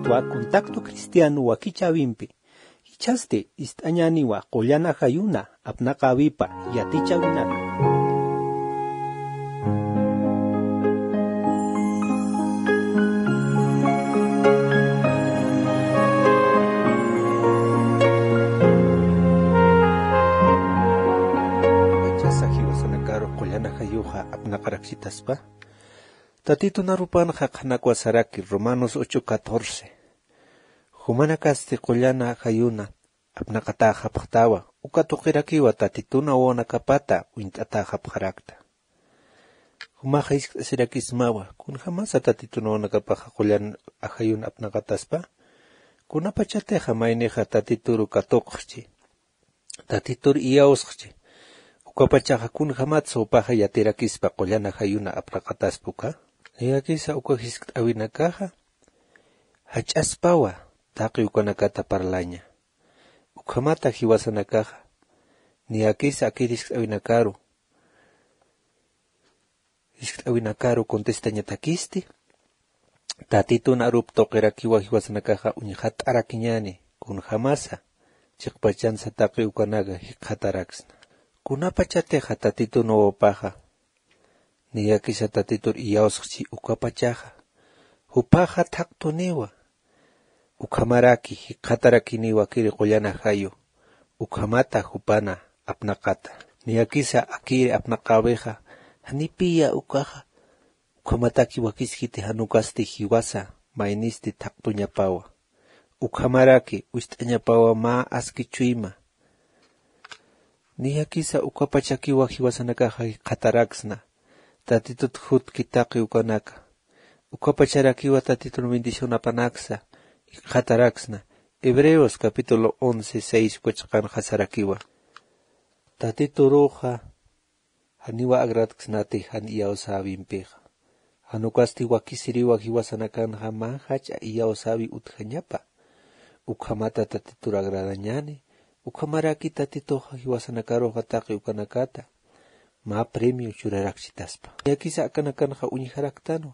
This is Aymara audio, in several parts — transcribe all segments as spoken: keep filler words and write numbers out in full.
Twa contacto cristiano wakichäwimpi. Jichhasti ist'añäniwa qullan ajayuna apnaqäwipa yatichäwinaka. Jichhasa jiwasanakaru qullan ajayuxa apnaqaraksitaspa. Tatitun arupanxa qhanakwa saraki Romanos ocho catorce. Jumanakasti qullan ajayuna apnaqatäxapxtawa, uka tuqirakiwa Tatitun wawanakapata uñt'atäxapxarakta. Jumaxa jiskt'asirakismawa, kunjamasa Tatitun wawanakapaxa qullan ajayun apnaqataspa. Kunapachatixa maynixa Tatituru katuqxchi, Tatitur iyawsxchi, ukapachaxa kunjamatsa jupaxa yatirakispa qullan ajayuna apnaqataspa uka. Niyakisa uka jiskt'äwinakaxa jach'aspawa taqi ukanakata parlaña. Ukhamata jiwasanakaxa niyakisa akir jiskt'äwinakaru, jiskt'äwinakaru contestañatakisti, Tatitun arup tuqirakiwa jiwasanakaxa uñxat'arakiñäni, kunjamasa chiqpachansa taqi ukanaka jikxataraksna. Kunapachatixa Tatitun wawapaxa niyakisa Tatitur iyawsxchi ukapachaxa, jupaxa thaqtuniwa, ukhamaraki jikxatarakiniwa akiri qullan ajayu, ukhamata jupana apnaqata. Niyakisa akiri apnaqäwixa, janipiya ukaxa, ukhamataki wakiskiti jan ukasti jiwasa maynisti thaqtuñapawa. Ukhamaraki wist'añapawa mä aski chuyma. Niyakisa ukapachakiwa jiwasanakaxa jikxataraksna, Tatitut jutki taqi ukanaka. Ukapacharakiwa Tatitun bendición apanaksa jikxataraksna. Hebreos capítulo once, seis uka chiqanxa sarakiwa. Tatituruxa janiwa agradksnati jan iyawsäwimpixa. Jan ukasti wakisiriwa jiwasanakanxa mä jach'a iyawsäwi utjañapa. Ukhamata Tatitur agradañäni, ukhamaraki Tatituxa jiwasanakaruxa taqi ukanakata mä premio churaraksitaspa. Niyakisa akanakanxa uñjaraktanwa.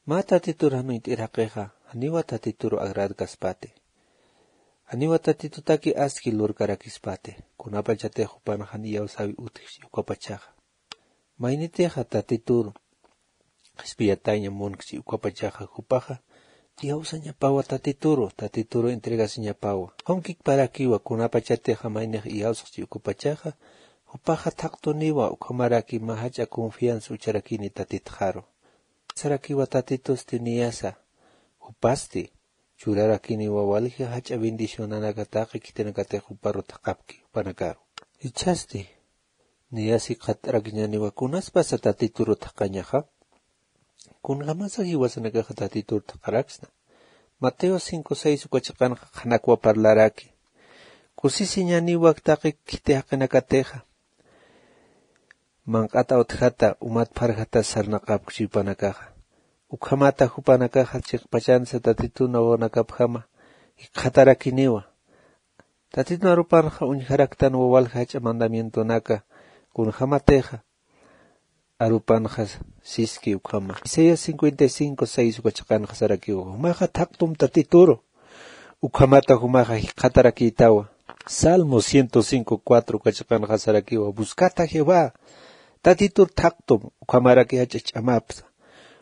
Mä Tatitur jan uñt'ir jaqixa, janiwa Tatituru agradkaspati. Janiwa Tatitutaki aski lurkarakispati. Kunapachatix jupan jan iyawsäwi utjchi ukapachaxa. Maynitixa Tatituru qhispiyataña munkchi ukapachaxa jupaxa iyawsañapawa Tatituru, Tatituru entregasiñapawa. Ukham kikparakiwa kunapachatixa maynix iyawsxchi ukapachaxa, jupaxa thaqtuniwa ukhamaraki mä jach'a confianza ucharakini Tatitxaru. Sarakiwa Tatitusti niyasa, jupasti churarakiniwa walja jach'a bendicionanaka taqi khitinakatix juparu thaqapki jupanakaru. Jichhasti niyasi jikxatarakiñäniwa kunaspasa Tatituru thaqañaxa. Kunjamasa jiwasanakaxa Tatitur thaqaraksna. Mateo cinco seis uka chiqanxa qhanakwa parlaraki. Kusisiñäniwa taqi khiti jaqinakatixa. Manq'at awtjata, umat pharjata sarnaqapkchi jupanakaxa. Ukhamata jupanakaxa chiqpachansa Tatitun wawanakapjama jikxatarakiniwa. Tatitun arupanxa uñjaraktanwa walja jach'a mandamientonaka, kunjamatixa arupanxa siski ukhama. Isaías cincuenta y cinco seis uka chiqanxa sarakiwa, jumaxa thaqtum Tatituru, ukhamata jumaxa jikxatarakïtawa. Salmo ciento cinco cuatro uka chiqanxa sarakiwa, buscad a Jehová, Tatitur thaqtum, ukhamaraki jach'a ch'amapsa,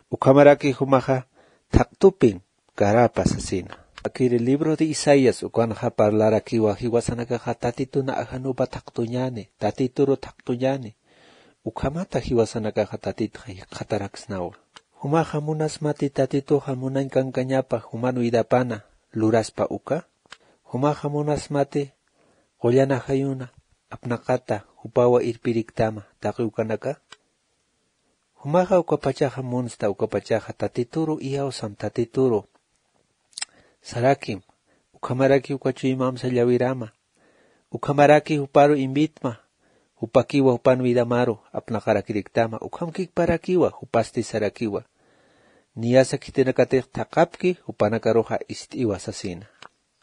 ukhamaraki jumaxa thaqtupin karapa sasina. Akiri libro de Isaías ukanxa parlarakiwa jiwasanakaxa Tatitun ajanupa thaqtuñäni, Tatituru thaqtuñäni. Ukhamata jiwasanakaxa Tatitxa jikxataraksnawa. Jumaxa munasmati Tatituxa munañ kankañapa juman widapana luraspa uka. Jumaxa munasmati qullan ajayuna apnaqata jupawa irpiriktama taqi ukanaka. Jumaxa ukapachaxa munsta, ukapachaxa Tatituru iyawsam, Tatituru sarakim, ukhamaraki uka chuymamsa llawirama, ukhamaraki juparu invitma, jupakiwa jupan vidamaru apnaqarakiriktama, ukham kikparakiwa, jupasti sarakiwa. Niyasa khitinakatix thaqapki, jupanakaruxa ist'iwa sasina.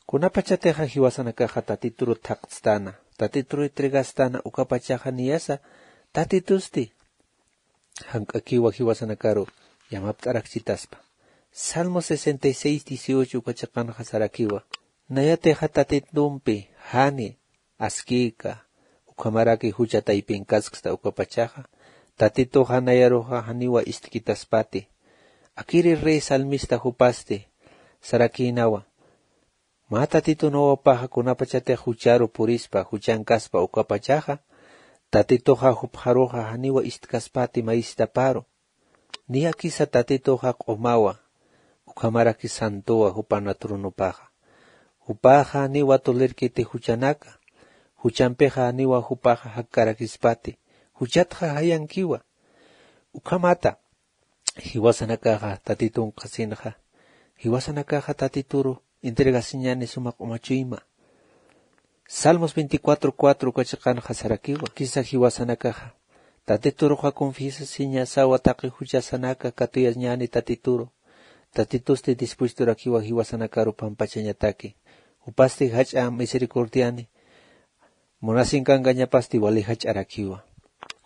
Kunapachatixa jiwasanakaxa Tatituru thaqtstana, Tatituru entregastana, ukapachaxa niyasa Tatitusti jank'akiwa jiwasanakaru yamapt'arakchitaspa. Salmo sesenta y seis dieciocho uka chiqanxa sarakiwa. Nayatixa tatitumpi jani askïka ukhamaraki jucha taypinkasksta ukapachaxa, tatituxa nayaruxa janiwa istkitaspati. Akiri rey salmista jupasti sarakïnawa. Mä tatitunawapaxa kunapachatix jucharu purispa juchankaspa ukapachaxa, tatituxa jupxaruxa janiwa istkaspati maystaparu. Niyakisa tatituxa q'umawa ukhamaraki santowa jupana tronopaxa. Jupaxa janiwa tolirkiti juchanaka. Juchampixa janiwa jupaxa jakkarakispati. Juchatxa jayankiwa. Ukhamata jiwasanakaxa tatitun qhasinxa, jiwasanakaxa tatituru entregasiñani suma q'umachuyma. Salmos veinticuatro cuatro uka chiqanxa sarakiwa. Kisa jiwasanakaxa tatituruxa confiesasiñasawa taqi juchasanaka katuyañani tatituru. Tatitusti dispuesturakiwa jiwasanakaru pampachañataki. Jupasti jach'a misericordiani munasinkankañapasti wali jach'arakiwa.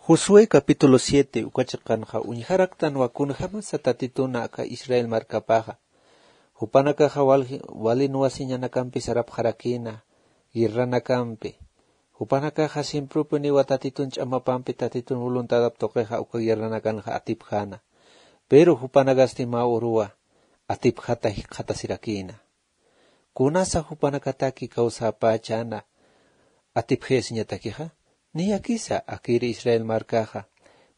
Josué capítulo siete uka chiqanxa uñjaraktanwa kunjämasa tatituna aka Israel markapaxa. Jupanakaxa wal wali nuwasiñanakampi sarapxarakïna guerranakampi. Jupanakaxa siemprupuniwa tatitun ch'amapampi tatitun voluntadap tuqixa uka guerranakanxa atipjäna. Pero jupanakasti mä uruwa atipjata jikxatasirakïna. Kunasa jupanakataki kawsäpächäna atipjayasiñatakixa? Niyakisa akiri Israel markaxa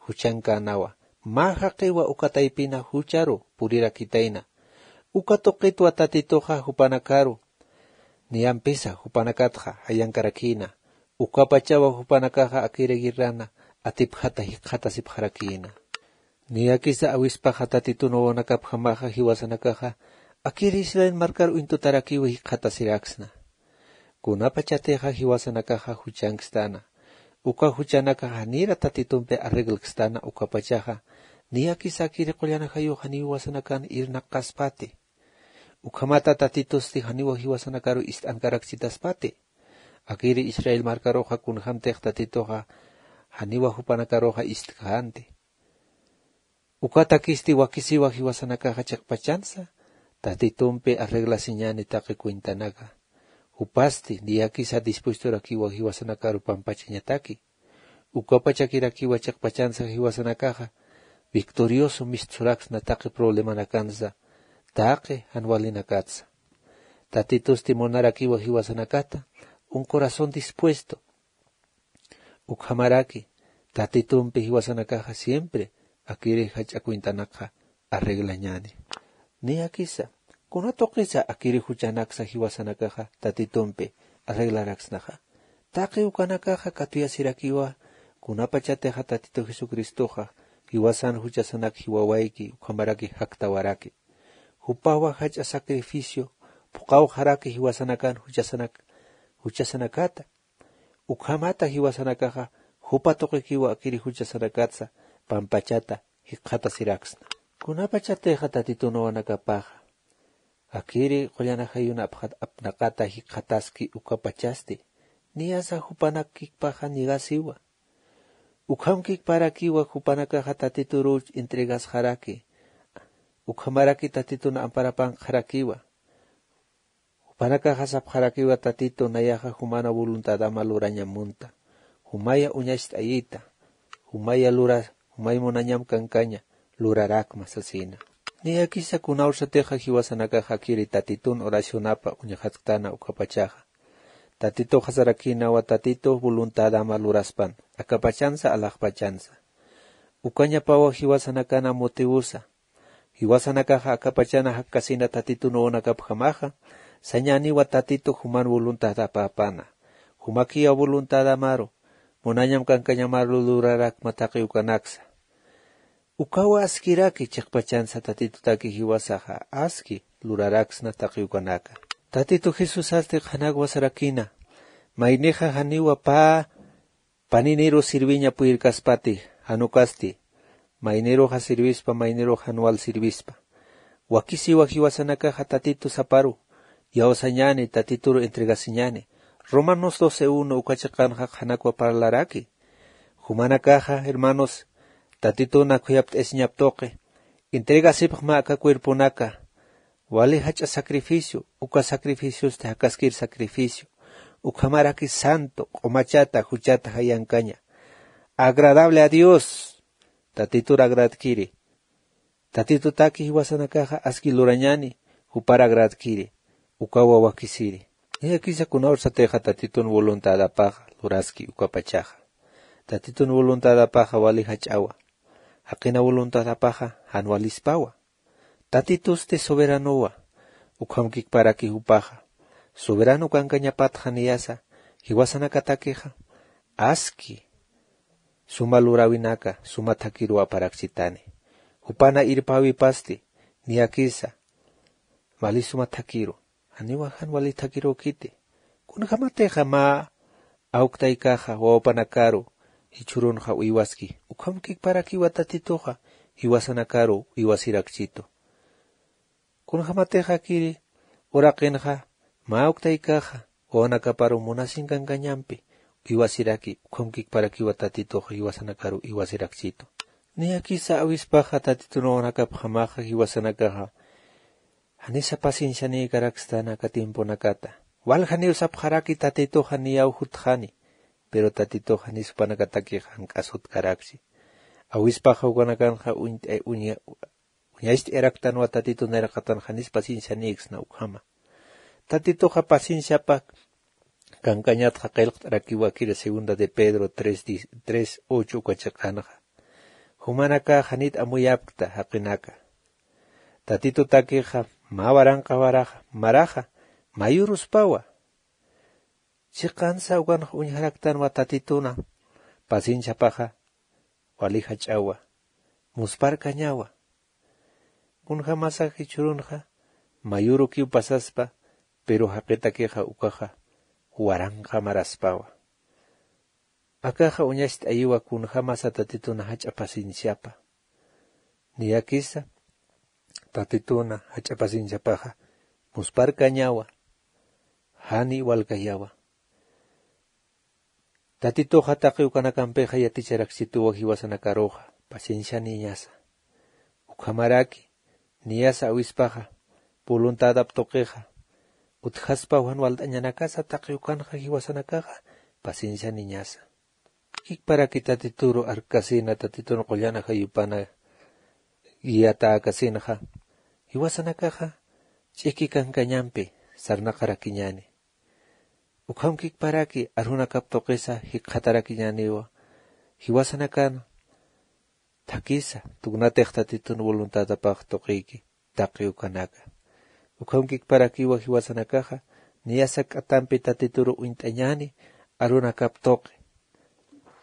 juchankänwa. Mä jaqiwa uka taypina jucharu purirakitayna. Uka tuqitwa tatituxa jupanakaru niyampisa jupanakatxa jayankarakïna. Ukapachawa jupanakaxa akiri guerrana atipjata jikxatasipxarakïna. Niyakisa awispaxa tatitun wawanakapjamaxa jiwasanakaxa akiri Israel markar uñtutarakiw jikxatasiraksna. Kunapachatixa jiwasanakaxa juchankstana. Uka juchanakaxa janira tatitumpi arreglkstana ukapachaxa niyakisa akiri qullan ajayux janiw jiwasanakan irnaqaspati. Ukhamata tatitusti janiw jiwasanakaru ist'ankarakchitaspati. Akiri Israel markaruxa kunjämtix tatituxa janiw jupanakaruxa istkänti. Ukatakisti wakisiwa jiwasanakaxa chiqpachansa tatitumpi arreglasiñani taqi cuentanaka. Jupasti niyakisa dispuestorakiwa jiwasanakaru pampachañataki. Ukapachakirakiwa chiqpachansa jiwasanakaxa victorioso mistsuraksna taqi problemanakansa taqi jan walinakatsa. Tatitusti munarakiwa jiwasanakata un corazón dispuesto. Ukhamaraki tatitumpi jiwasanakaxa siempre akiri jach'a cuentanakxa arreglañani. Niyakisa kuna tuqisa akiri juchanaksa jiwasanakaxa tatitumpi arreglaraksnaxa? Taqi ukanakaxa katuyasirakiwa kunapachatixa tatitu jesucristoxa jiwasan juchasanak jiwawayki ukhamaraki jaktawaraki. Jupawa jach'a sacrificio phuqawxaraki jiwasanakan juchasanak juchasanakata. Ukhamata jiwasanakaxa jupa tuqikiwa akiri juchasanakatsa pampachata jikxatasiraksna. Kunapachatixa tatitun wawanakapaxa akiri qullan ajayun apnaqata jikxataski ukapachasti niyasa jupanakikpaxa nigasiwa. Ukham kikparakiwa jupanakaxa tatituruch entregasxaraki. Ukhamaraki tatitun amparapanqxarakiwa. Jupanakaxa sapxarakiwa tatitu nayaxa jumana voluntadama lurañam munta. Jumaya uñacht'ayita. Jumaya lura jumay munañam kankaña lurarakma sasina. Niyakisa kunawsatixa jiwasanakaxa akiri tatitun oracionapa uñxatktana ukapachaxa tatituxa sarakinawa tatitu voluntadama luraspan akapachansa alaxpachansa. Ukañapawa jiwasanakana motivosa jiwasanakaxa akapachana jakkasina tatitun wawanakapjamaxa sañäniwa tatitu juman voluntadapäpana. Jumakiya voluntadamaru munañam kankañamaru lurarakma taqi ukanaksa. Ukawa askiraki chiqpachansa tatitutaki jiwasaxa aski luraraksna taqi ukanaka. Tatitu jesusasti qhanakwa sarakina maynixa janiwa pä paniniru sirviña puyirkaspati jan ukasti mayniruxa sirvispa maynirux jan wal sirvispa. Wakisiwa jiwasanakaxa tatitu saparu iyawsañäni tatituru entregasiñäni. Romanos doce uno uka chiqanxa qhanakwa parlaraki. Jumanakaxa hermanos tatituna khuyapt'asiñap tuqi entregasipxma aka cuerponaka Wali jach'a sacrificio, uka sacrificiosti jakaskir sacrificio, ukhamaraki santo, q'umachata juchata jayankaña, agradable a Dios. Tatitur agradkiri. Tatitutaki jiwasanakaxa aski lurañani, jupar agradkiri, ukawa wakisiri. Niyakisa kunawsatixa tatitun voluntadapaxa luraski ukapachaxa. Tatitun voluntadapaxa wali jach'awa. Jaqina voluntadapaxa jan walispawa. Tatitusti soberanowa. Ukhamkikparaki jupaxa soberano kankañapatxa niyasa jiwasanakatakixa aski suma luräwinaka suma thakhiruw aparakchitani. Jupana irpäwipasti niyakisa wali suma thakhiru, janiwa jan wali thakhirukiti. Kunjämatixa mä awktaykaxa wawapanakaru jichhürunxa uywaski, ukhamkikparakiwa tatituxa jiwasanakaru uywasirakchitu. Kunjämatixa kiri uraqinxa mä awktaykaxa wawanakaparu munasinkankañampi uywasiraki, ukhamkikparakiwa tatituxa jiwasanakaru uywasirakchitu. Niyakisa awispaxa tatitun wawanakapjamaxa jiwasanakaxa janisa paciencianïkarakstana aka tiemponakata. Waljaniw sapxaraki tatituxa niyaw jutxani, pero tatituxa janis jupanakatakixa jank'as jutkaraksi. Awispaxa ukanakanxa uñt'a- uña- uñacht'ayaraktanwa tatitun nayraqatan janis paciencianïksna ukhama. Tatituxa pacienciapa kankañatxa qillqt'arakiwakiri segunda de Pedro tres ocho uka chiqanxa. Jumanakax janit amuyapkta jaqinaka. Tatitutakixa mä waranqa waraxa maraxa mayüruspawa. Chiqansa ukanxa uñjaraktanwa tatituna pacienciapaxa wali jach'awa, muspharkañawa. Kunjämasa jichhürunxa mayürukiw pasaspa, pero jaqitakixa ukaxa waranqa maraspawa. Akaxa uñacht'ayiwa kunjämasa tatituna jach'a pacienciapa. Niyakisa tatituna jach'a pacienciapaxa muspharkañawa, jani walkayawa. Tatituxa taqi ukanakampixa yaticharakchituwa jiwasanakaruxa paciencianïñasa. Ukhamaraki niyasa awispaxa voluntadap tuqixa utjaspaw jan walt'añanakasa taqi ukanxa jiwasanakaxa paciencianïñasa. Kikparaki tatituru arkasina, tatitun qullan ajayupana guiatäkasinxa jiwasanakaxa ch'iki kankañampi sarnaqarakiñäni. Ukhamkikparaki arunakap tuqisa jikxatarakiñäniwa jiwasanakan thakisa, tukunatix tatitun voluntadapax tuqiyki taqi ukanaka. Ukhamkikparakiwa jiwasanakaxa niyasa k'atampi tatituru uñt'añäni arunakap tuqi.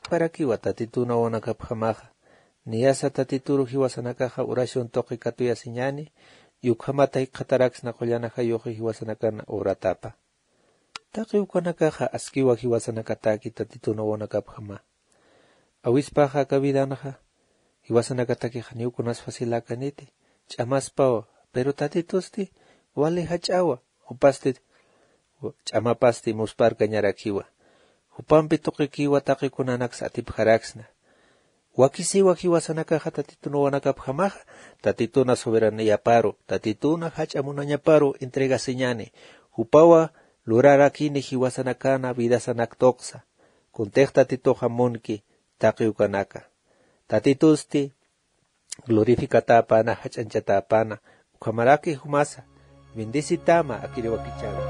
Parakiwa tatituna wawanakapjamaxa niyasa tatituru jiwasanakaxa oración tuqi katuyasiñäni, y ukhamata jikxataraksna qullan ajayuxi jiwasanakan oratapa. Taqi ukanakaxa askiwa jiwasanakataki tatituna wawanakapjama. Awispaxa aka vidanxa jiwasanakatakix janiw kunas faciläkaniti, ch'amaspawa, pero tatitusti wali jach'awa, jupasti ch'amapasti muspharkañarakiwa. Jupampi tuqikiwa taqi kunanaksa atipjaraksna. Wakisiwa jiwasanakaxa tatituna wawanakapjamaxa, tatituna soberaniaparu, tatituna jach'a munañaparu entregasiñäni. Jupawa lurarakini jiwasanakana vidasanak tuqsa. Kuntix tatituxa munki taqi ukanaka. Tatitusti glorificatäpäna, jach'añchatäpäna. Ukhamaraki jumasa bendecitäma akiriwakichäwi.